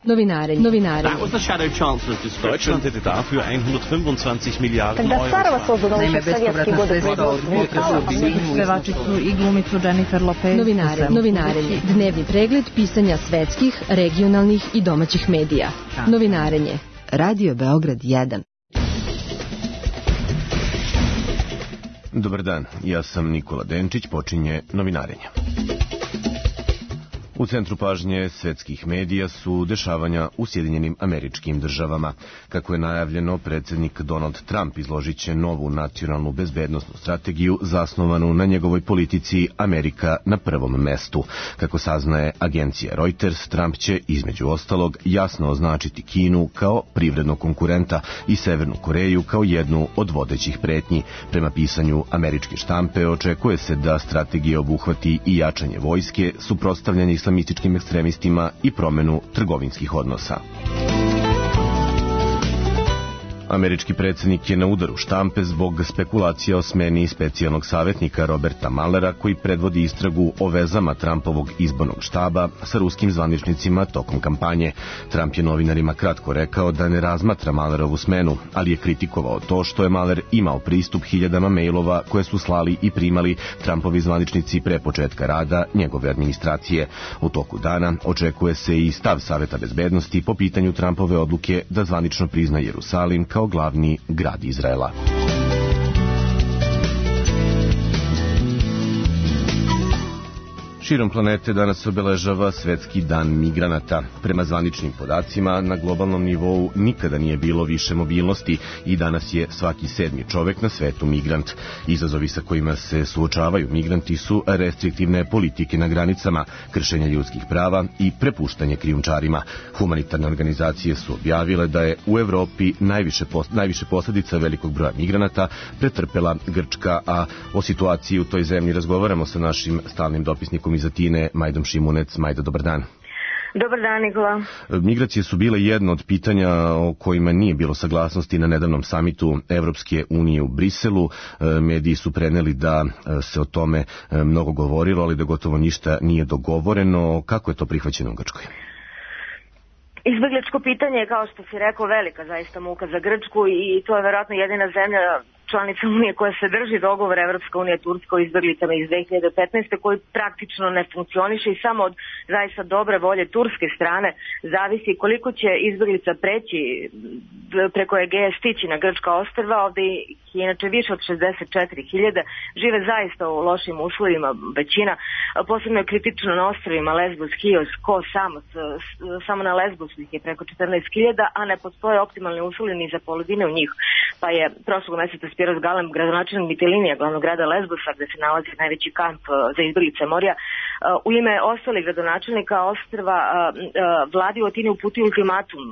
Novinare. That was the Shadow Chancellor's description. Deutschland hätte dafür 125 Milliarden Когда Сарова Euro. создана еще в советские годы pevačicu i glumicu Jennifer Lopez. Novinarenje. Dnevni pregled pisanja svetskih, regionalnih i domaćih medija. Novinarenje. Radio Beograd 1. Dobar dan, ja sam Nikola Denčić, počinje novinarenje. U centru pažnje svetskih medija su dešavanja u Sjedinjenim Američkim Državama. Kako je najavljeno, predsjednik Donald Trump izložit će novu nacionalnu bezbednosnu strategiju zasnovanu na njegovoj politici Amerika na prvom mestu. Kako saznaje agencija Reuters, Trump će između ostalog jasno označiti Kinu kao privrednog konkurenta i Severnu Koreju kao jednu od vodećih pretnji. Prema pisanju američke štampe očekuje se da strategija obuhvati i jačanje vojske, suprotstavljanje islamističkim ekstremistima i promenu trgovinskih odnosa. Američki predsjednik je na udaru štampe zbog spekulacija o smeni specijalnog savjetnika Roberta Muellera koji predvodi istragu o vezama Trumpovog izbornog štaba sa ruskim zvaničnicima tokom kampanje. Trump je novinarima kratko rekao da ne razmatra Muellerovu smenu, ali je kritikovao to što je Mueller imao pristup hiljadama mailova koje su slali i primali Trumpovi zvaničnici pre početka rada njegove administracije. U toku dana očekuje se i stav Saveta bezbednosti po pitanju Trumpove odluke da zvanično prizna Jerusalim kao glavni grad Izraela. Širom planete danas obeležava Svetski dan migranata. Prema zvaničnim podacima, na globalnom nivou nikada nije bilo više mobilnosti i danas je svaki 7. čovek na svetu migrant. Izazovi sa kojima se suočavaju migranti su restriktivne politike na granicama, kršenje ljudskih prava i prepuštanje krijumčarima. Humanitarne organizacije su objavile da je u Evropi najviše posljedica velikog broja migranata pretrpela Grčka, a o situaciji u toj zemlji razgovaramo sa našim stalnim dopisnikom iz Atine, Majdom Šimunec. Majda, dobar dan. Dobar dan, Nikola. Migracije su bile jedno od pitanja o kojima nije bilo saglasnosti na nedavnom samitu Evropske unije u Briselu. Mediji su preneli da se o tome mnogo govorilo, ali da gotovo ništa nije dogovoreno. Kako je to prihvaćeno u Grčkoj? Izbjegličko pitanje je, kao što si rekao, velika zaista muka za Grčku i to je verovatno jedina zemlja članica Unije koja se drži dogovor Evropska unija Turska o izbjeglicama iz 2015. koji praktično ne funkcioniše i samo od zaista dobre volje turske strane zavisi koliko će izbjeglica preći preko Egeje stići na grčka ostrva. Ovdje je inače više od 64.000, žive zaista u lošim uslovima većina, posebno je kritično na ostrovima Lesbos, Chios, Kos, Samos, samo na Lesbosu ih je preko 14.000, a ne postoje optimalni uslovi ni za polovine u njih. Pa je prošlog mjeseca Spiros Galem, gradonačelnik Mitilinija, glavnog grada Lesbosa, gde se nalazi najveći kamp za izbjeglice Morija, u ime ostalih gradonačelnika ostrva vladi u Atini uputio ultimatum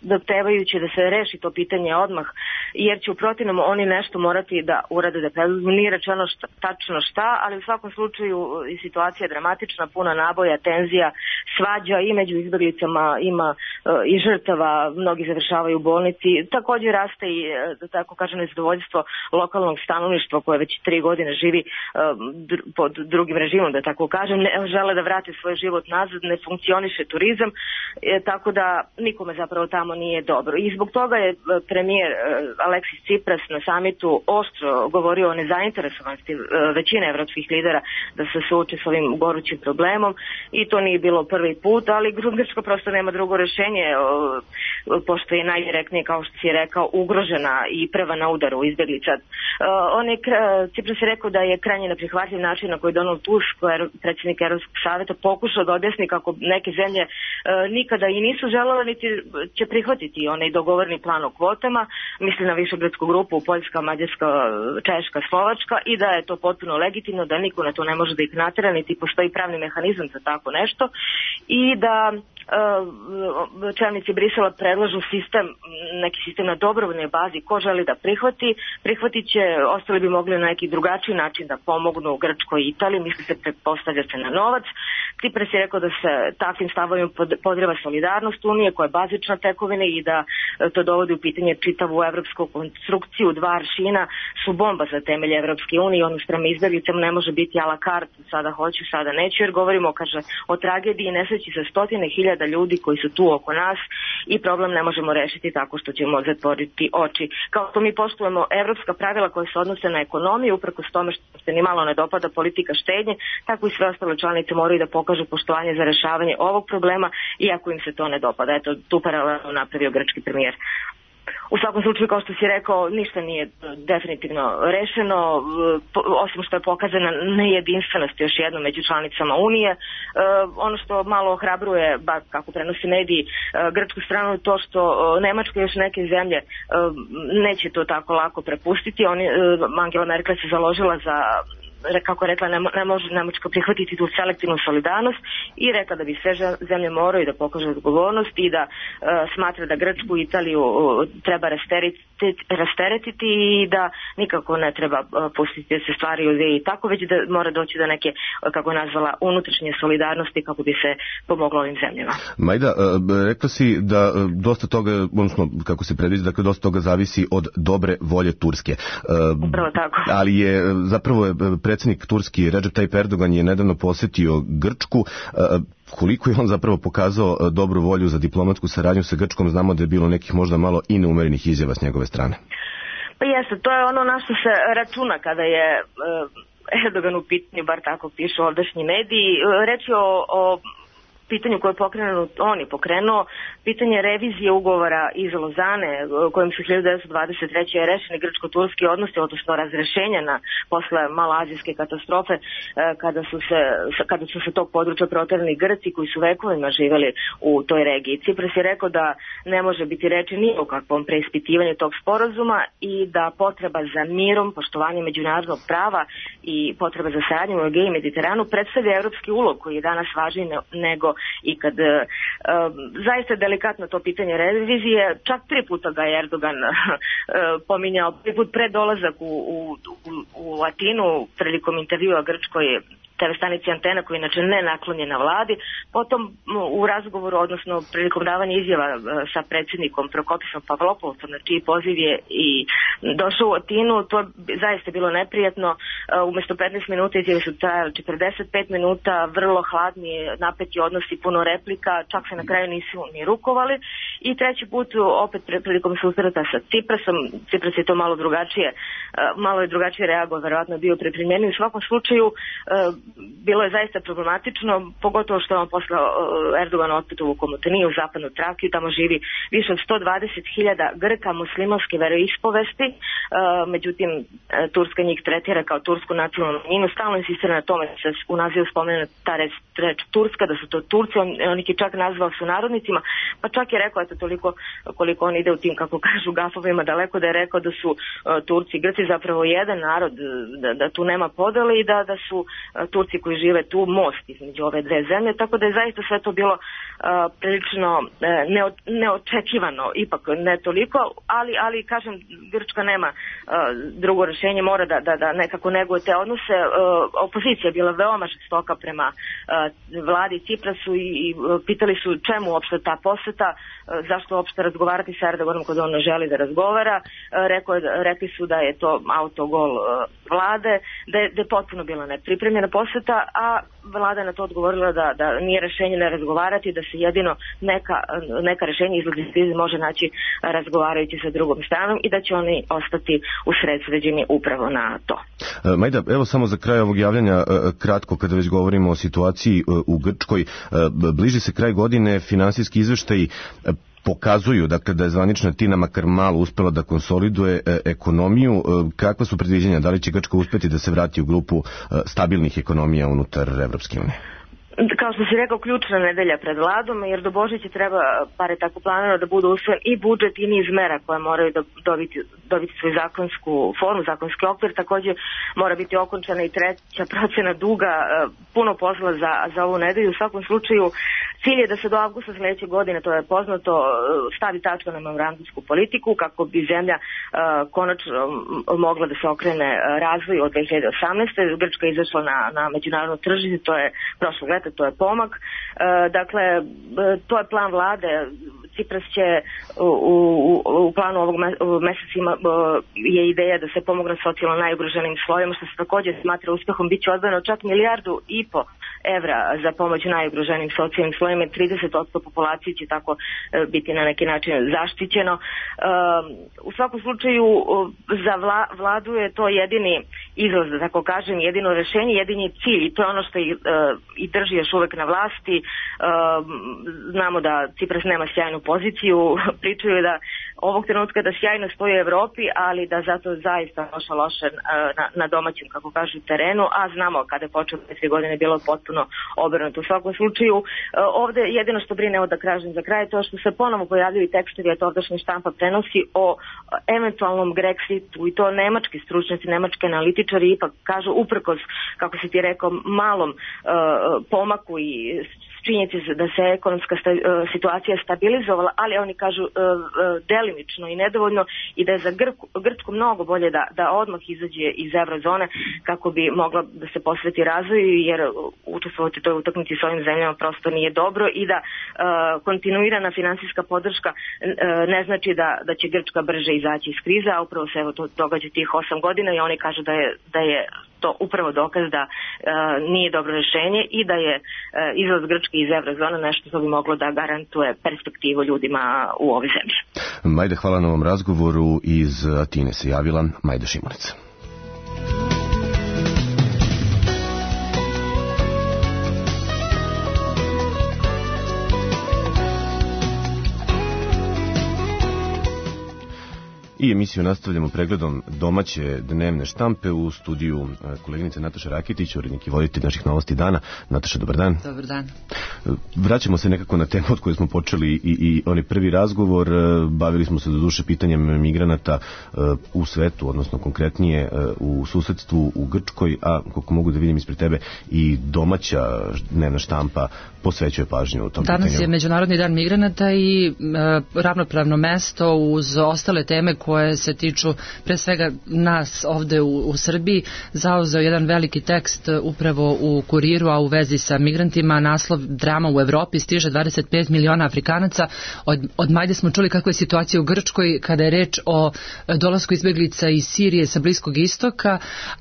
zahtevajući da se reši to pitanje odmah, jer će u protivnom oni nešto morati da urade, da preduzmu. Nije rečeno tačno šta, ali u svakom slučaju i situacija je dramatična, puna naboja, tenzija, svađa i među izbjeglicama, ima i žrtava, mnogi završavaju u bolnici. Također raste i, da tako kažem, nezadovoljstvo lokalnog stanovništva koje već 3 godine živi pod drugim režimom, da tako kažem, ne žele da vrate svoj život nazad, ne funkcioniše turizam, tako da nikome zapravo tamo nije dobro. I zbog toga je premijer Aleksis Tsipras na samitu oštro govorio o nezainteresovanosti većine evropskih lidera da se suoče s ovim gorućim problemom i to nije bilo prvi put, ali Grčka prosto nema drugo rješenje, pošto je najdirektnije, kao što si rekao, ugrožena i prva na udaru izbjeglica. Tsipras je rekao da je krajnje neprihvatljiv način na koji Donald Tusk, predsjednik Europskog savjeta, pokušao da objasni kako neke zemlje nikada i nisu želele niti će prihvatiti onaj dogovorni plan o kvotama, misli na višegradsku grupu Poljska, Mađarska, Češka, Slovačka, i da je to potpuno legitimno, da niko na to ne može da ih natera, niti postoji pravni mehanizam za tako nešto i da čelnici Brisela predlažu neki sistem na dobrovoljnoj bazi. Ko želi da prihvatit će, ostali bi mogli na neki drugačiji način da pomognu Grčkoj i Italiji, misli se pretpostavlja se na novac. Tsipras je rekao da se takvim stavovima podrijeva solidarnost Unije koja je bazična tekovina i da to dovodi u pitanje čitavu evropsku konstrukciju 1 2 aršina su bomba za temelje Evropske unije. Ono što me izbjeglicama ne može biti a la carte, sada hoću, sada neću, jer govorimo, kaže, o tragediji i nesreći sa stotine hiljada ljudi koji su tu oko nas i problem ne možemo rešiti tako što ćemo zatvoriti oči. Kao što mi poštujemo evropska pravila koja se odnose na ekonomiju, uprkos tome što se ni malo ne dopada politika štednje, tako i sve ostale članice moraju da pokažu poštovanje za rešavanje ovog problema, iako im se to ne dopada. Eto, tu paralelu napravio grčki premijer. U svakom slučaju, kao što si rekao, ništa nije definitivno rešeno, osim što je pokazana nejedinstvenost još jednom među članicama Unije. Ono što malo ohrabruje, bar kako prenosi mediji, grčku stranu je to što Nemačka i još neke zemlje neće to tako lako prepustiti. Angela Merkel se založila za, kako rekla, ne može Nemačka prihvatiti tu selektivnu solidarnost i rekla da bi sve zemlje moraju da pokažu odgovornost i da smatra da Grčku i Italiju treba rasteretiti i da nikako ne treba pustiti da se stvari odvije tako, već da mora doći do neke, kako je nazvala, unutrašnje solidarnosti kako bi se pomoglo ovim zemljama. Majda, rekla si da dosta toga, odnosno kako se predviđa, dakle dosta toga zavisi od dobre volje Turske. Upravo tako. Ali je zapravo predsjednik Turski Recep Tayyip Erdogan je nedavno posjetio Grčku. Koliko je on zapravo pokazao dobru volju za diplomatsku saradnju sa Grčkom? Znamo da je bilo nekih možda malo i neumerenih izjava s njegove strane. Pa jeste, to je ono na što se računa kada je Erdogan u pitanju, bar tako pišu ovdašnji mediji. Reč je o pitanju koje on je pokrenuo, pitanje revizije ugovora iz Lozane, kojim su 1923. rešeni grčko-turski odnosi, odnosno razrešenja posle maloazijske katastrofe, kada su se tog područja proterali Grci koji su vekovima živeli u toj regiji. Cipras je rekao da ne može biti reči ni o kakvom preispitivanju tog sporazuma i da potreba za mirom, poštovanjem međunarodnog prava i potreba za saradnjom u Egeju i Mediteranu predstavlja evropski ulog koji je danas važniji nego i kad zaista delikatno to pitanje revizije, čak 3 puta ga je Erdogan pominjao, 3 put pred dolazak u Atinu prilikom intervjua grčkoj TV stanici Antena, koji je inače ne naklonjena vladi, potom u razgovoru, odnosno prilikom davanja izjava sa predsjednikom Prokopisom Pavlopoulosom, na čiji poziv je i došao u Atinu, to je zaista bilo neprijatno. Umesto 15 minuta izjave su trajali 45 minuta, vrlo hladni, napeti odnosi, puno replika, čak se na kraju nisu ni rukovali. I treći put opet prilikom susreta sa Ciprasom, Cipras je to malo je drugačije reagovao, verovatno je bio pripremljen. U svakom slučaju bilo je zaista problematično, pogotovo što je on poslao Erdogan otput u Komotaniju, u zapadnu Trakiju, tamo živi više od 120.000 Grka muslimanske veroispovesti, međutim Turska njih tretira kao tursku nacionalnu manjinu, stalno insistira na tome da se u nazivu spomene ta reč Turska, da su to Turci, on ih je čak nazvao sunarodnicima, pa čak je rekao, eto toliko koliko on ide u tim, kako kažu, gafovima daleko, da je rekao da su Turci i Grci zapravo jedan narod, da tu nema podele i da su Turci koji žive tu most između ove dve zemlje, tako da je zaista sve to bilo prilično neočekivano, ipak ne toliko, ali kažem, Grčka nema drugo rešenje, mora da nekako neguje te odnose. Opozicija je bila veoma žestoka prema vladi Ciprasu i pitali su čemu uopšte ta poseta, zašto uopšte razgovarati sa Erdoganom kada on ne želi da razgovara. Rekli su da je to autogol vlade, da je potpuno bila nepripremljena poseta, a vlada na to odgovorila da nije rešenje ne razgovarati, da se jedino neka rešenja izlazi krize može naći razgovarajući sa drugom stranom i da će oni ostati usredsređeni upravo na to. Majda, evo samo za kraj ovog javljanja kratko, kada već govorimo o situaciji u Grčkoj, bliži se kraj godine, finansijski izveštaji pokazuju, dakle, da je zvanična Tina makar malo uspela da konsoliduje ekonomiju. Kakva su predviđanja? Da li će Grčka uspeti da se vrati u grupu stabilnih ekonomija unutar Evropske unije? Kao što si rekao, ključna nedelja pred vladom, jer do Božića treba, par je tako planirano, da bude usvojen i budžet i niz mera koje moraju da dobiti svoju zakonsku formu, zakonski okvir. Također mora biti okončana i treća procena duga, puno posla za ovu nedelju. U svakom slučaju cilj je da se do avgusta sljedeće godine, to je poznato, stavi tačka na memorandumsku politiku kako bi zemlja konačno mogla da se okrene razvoju od 2018. Grčka je izašla na međunarodno tržište, to je prošlog leta, to je pomak. Dakle, to je plan vlade. Cipras će u planu ovog meseca je ideja da se pomogne socijalno najugroženim slojima, što se također smatra uspehom. Biće odvojeno čak 1,5 milijardu evra za pomoć najugroženim socijalnim slojima. 30% populacije će tako biti na neki način zaštićeno. U svakom slučaju za vladu je to jedini izlaz, da tako kažem, jedino rešenje, jedini cilj, i to je ono što i drži još uvek na vlasti. Znamo da Cipras nema sjajnu poziciju, pričaju da ovog trenutka da sjajno stoji u Evropi, ali da zato zaista loše na domaćem, kako kažu, terenu, a znamo kada je počeo 3 godine bilo potpuno obrnuto. U svakom slučaju, ovde jedino što brine, da kažem za kraj, to što se ponovo pojavljaju tekstovi, a to ovdašnja štampa prenosi o eventualnom Grexitu, i to nemački stručnjaci, nemački analitičari ipak kažu, uprkos, kako si ti rekao, malom pomaku i činjenici da se ekonomska situacija stabilizovala, ali oni kažu delimično i nedovoljno, i da je za Grčku mnogo bolje da odmah izađe iz eurozone kako bi mogla da se posveti razvoju, jer učestvovati toj utakmici s ovim zemljama prosto nije dobro, i da kontinuirana finansijska podrška ne znači da će Grčka brže izaći iz krize, a upravo se evo to događa tih 8 godina, i oni kažu da je to upravo dokaz da nije dobro rešenje i da je izlaz Grčke iz eurozone nešto što bi moglo da garantuje perspektivu ljudima u ovoj zemlji. Majda, hvala na ovom razgovoru. Iz Atine se javila Majda Šimunić. I emisiju nastavljamo pregledom domaće dnevne štampe. U studiju koleginica Nataša Rakitić, urednik i voditelj naših novosti dana. Nataša, dobar dan. Dobar dan. Vraćamo se nekako na temu od koje smo počeli i onaj prvi razgovor. Bavili smo se do duše pitanjem migranata u svetu, odnosno konkretnije u susedstvu u Grčkoj, a koliko mogu da vidim ispred tebe, i domaća dnevna štampa posvećuje pažnju u tom pitanju. Danas je Međunarodni dan migranata i ravnopravno mesto uz ostale teme koje se tiču pre svega nas ovde u Srbiji zauzeo jedan veliki tekst upravo u Kuriru, a u vezi sa migrantima. Naslov: drama u Evropi, stiže 25 miliona Afrikanaca. Od Majde smo čuli kakva je situacija u Grčkoj kada je reč o dolasku izbeglica iz Sirije sa Bliskog istoka,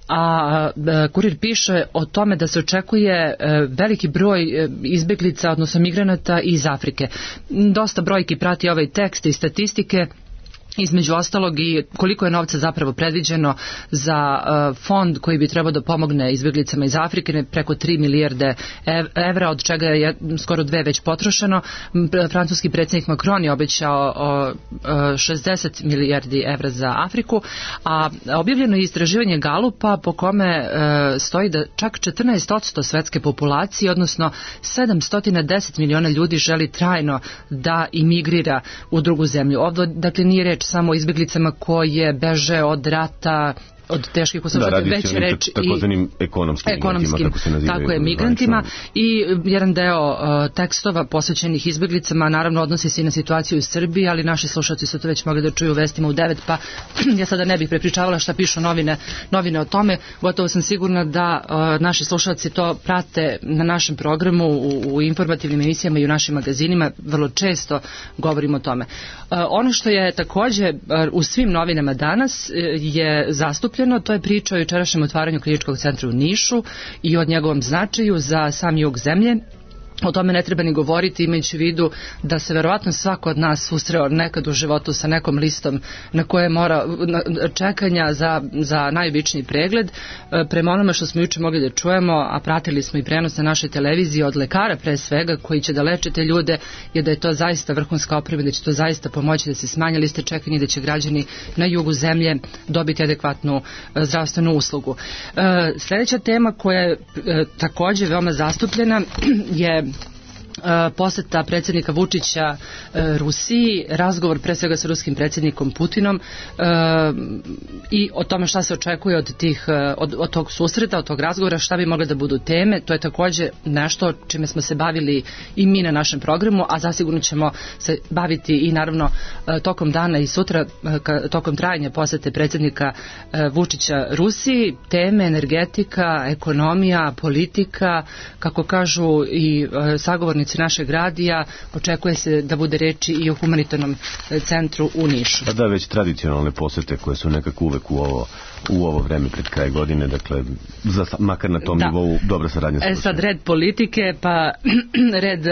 a Kurir piše o tome da se očekuje veliki broj izbeglica, odnosno migranata iz Afrike. Dosta brojki prati ovaj tekst i statistike, između ostalog i koliko je novca zapravo predviđeno za fond koji bi trebao da pomogne izbjeglicama iz Afrike, preko 3 milijarde evra, od čega je skoro 2 već potrošeno. Francuski predsjednik Macron je obećao 60 milijardi evra za Afriku, a objavljeno je istraživanje Galupa po kome stoji da čak 14% svetske populacije, odnosno 710 miliona ljudi, želi trajno da imigrira u drugu zemlju. Ovdje, dakle, nije reč samo o izbjeglicama koje beže od rata, od teških uslova, već reč takozvanim ekonomskim kako se nazivaju, tako je, migrantima. I jedan deo tekstova posvećenih izbjeglicama naravno odnosi se i na situaciju u Srbiji, ali naši slušalci su to već mogli da čuju u vestima u 9, pa ja sada ne bih prepričavala šta pišu novine o tome. Gotovo sam sigurna da naši slušalci to prate na našem programu, u informativnim emisijama i u našim magazinima. Vrlo često govorimo o tome. Ono što je takođe u svim novinama danas je zastupljeno, to je priča o jučerašnjem otvaranju kliničkog centra u Nišu i o njegovom značaju za sam jug zemlje. O tome ne treba ni govoriti, imajući u vidu da se verovatno svako od nas susreo nekad u životu sa nekom listom na koje mora čekanja za najobičniji pregled. Prema onome što smo juče mogli da čujemo, a pratili smo i prenos na našoj televiziji od lekara pre svega koji će da leče te ljude, je da je to zaista vrhunska oprema, da će to zaista pomoći da se smanje liste čekanja i da će građani na jugu zemlje dobiti adekvatnu zdravstvenu uslugu. Sljedeća tema koja je također veoma zastupljena je poseta predsjednika Vučića Rusiji, razgovor pre svega sa ruskim predsjednikom Putinom i o tome šta se očekuje od tog susreta, od tog razgovora, šta bi mogle da budu teme. To je također nešto čime smo se bavili i mi na našem programu, a zasigurno ćemo se baviti i naravno tokom dana i sutra tokom trajanja posete predsjednika Vučića Rusiji. Teme: energetika, ekonomija, politika, kako kažu i sagovornici ulici našeg radija. Očekuje se da bude reči i o humanitarnom centru u Nišu. Pa da, već tradicionalne posete koje su nekako uvek u ovo vreme pred kraj godine, dakle, makar na tom nivou dobra saradnja. Sad red politike, pa red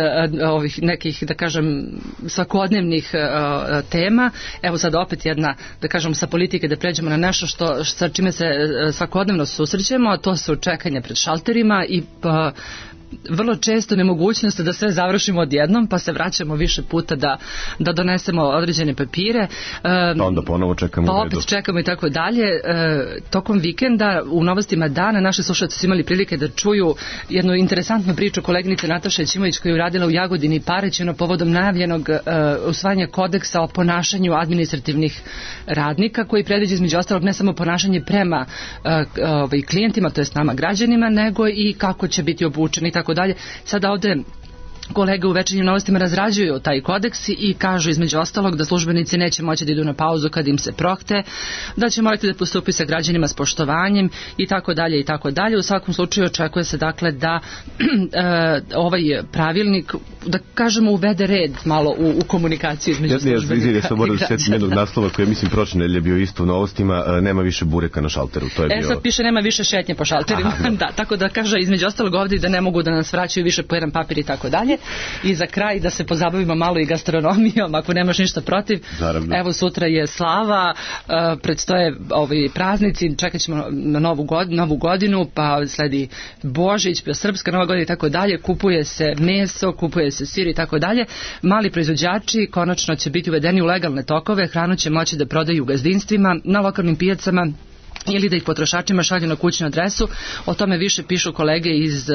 ovih nekih, da kažem, svakodnevnih tema. Evo sad opet jedna, da kažem, sa politike da pređemo na nešto sa čime se svakodnevno susrećemo, a to su čekanja pred šalterima i vrlo često nemogućnost da sve završimo odjednom, pa se vraćamo više puta da donesemo određene papire. Pa onda ponovo čekamo. Pa opet čekamo i tako dalje. Tokom vikenda u Novostima dana naši slušalci su imali prilike da čuju jednu interesantnu priču koleginice Nataše Ćimović koju je uradila u Jagodini i Paraćinu povodom najavljenog usvajanja kodeksa o ponašanju administrativnih radnika koji predviđa između ostalog ne samo ponašanje prema klijentima, to jest nama građanima, nego i kako će biti obučeni i tako dalje. Sada ovde kolege u Večernjim novostima razrađuju taj kodeks i kažu između ostalog da službenici neće moći da idu na pauzu kad im se prohte, da će morati da postupi sa građanima s poštovanjem i tako dalje i tako dalje. U svakom slučaju očekuje se dakle da ovaj pravilnik, da kažemo, uvede red malo u komunikaciju između službenika. Ja sam moram sjetiti jednog naslova koji je, mislim, prošle nedelje bio isto u Novostima, nema više bureka na šalteru. To je bio... sad piše nema više šetnje po šalterima. Da, tako da kaže između ostalog ovdje da ne mogu da nas vraćaju više po jedan papir i tako dalje. I za kraj da se pozabavimo malo i gastronomijom, ako nemaš ništa protiv. Naravno. Evo sutra je slava, predstoje ovi praznici, čekat ćemo na novu godinu, pa sledi Božić, pa Srpska Nova godina i tako dalje, kupuje se meso, kupuje se sir i tako dalje. Mali proizvođači konačno će biti uvedeni u legalne tokove, hranu će moći da prodaju u gazdinstvima, na lokalnim pijacama ili da ih potrošačima šalju na kućnu adresu. O tome više pišu kolege iz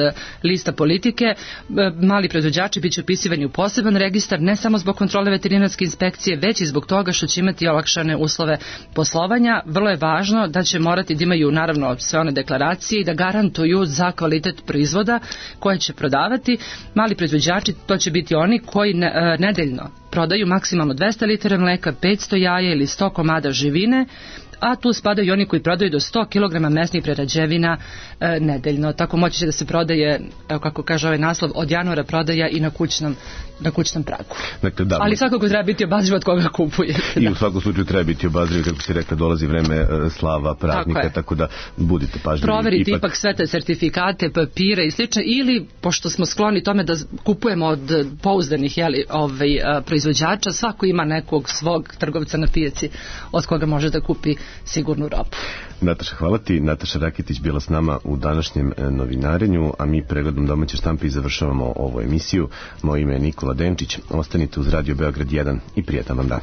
lista politike. Mali proizvođači biće upisivani u poseban registar, ne samo zbog kontrole veterinarske inspekcije, već i zbog toga što će imati olakšane uslove poslovanja. Vrlo je važno da će morati da imaju naravno sve one deklaracije i da garantuju za kvalitet proizvoda koje će prodavati. Mali proizvođači, to će biti oni koji nedeljno prodaju maksimalno 200 litara mleka, 500 jaja ili 100 komada živine, a tu spadaju i oni koji prodaju do 100 kg mesnih prerađevina nedeljno. Tako moći će da se prodaje, evo kako kaže ovaj naslov, od januara prodaja i na kućnom pragu. Dakle, da, ali svakako treba biti obazriv od koga kupuje. I u svakom slučaju treba biti obazriv, kako si rekla, dolazi vreme slava, praznika, tako da budite pažljivi. Proveriti ipak sve te sertifikate, papire i slično, ili, pošto smo skloni tome da kupujemo od pouzdanih proizvođača, svako ima nekog svog trgovca na pijaci od koga može da kupi sigurnu robu. Nataša, hvala ti. Nataša Raketić bila s nama u današnjem novinarenju, a mi pregledom domaće štampe i završavamo ovu emisiju. Moje ime je Nikola Denčić. Ostanite uz Radio Beograd 1 i prijetan vam dan.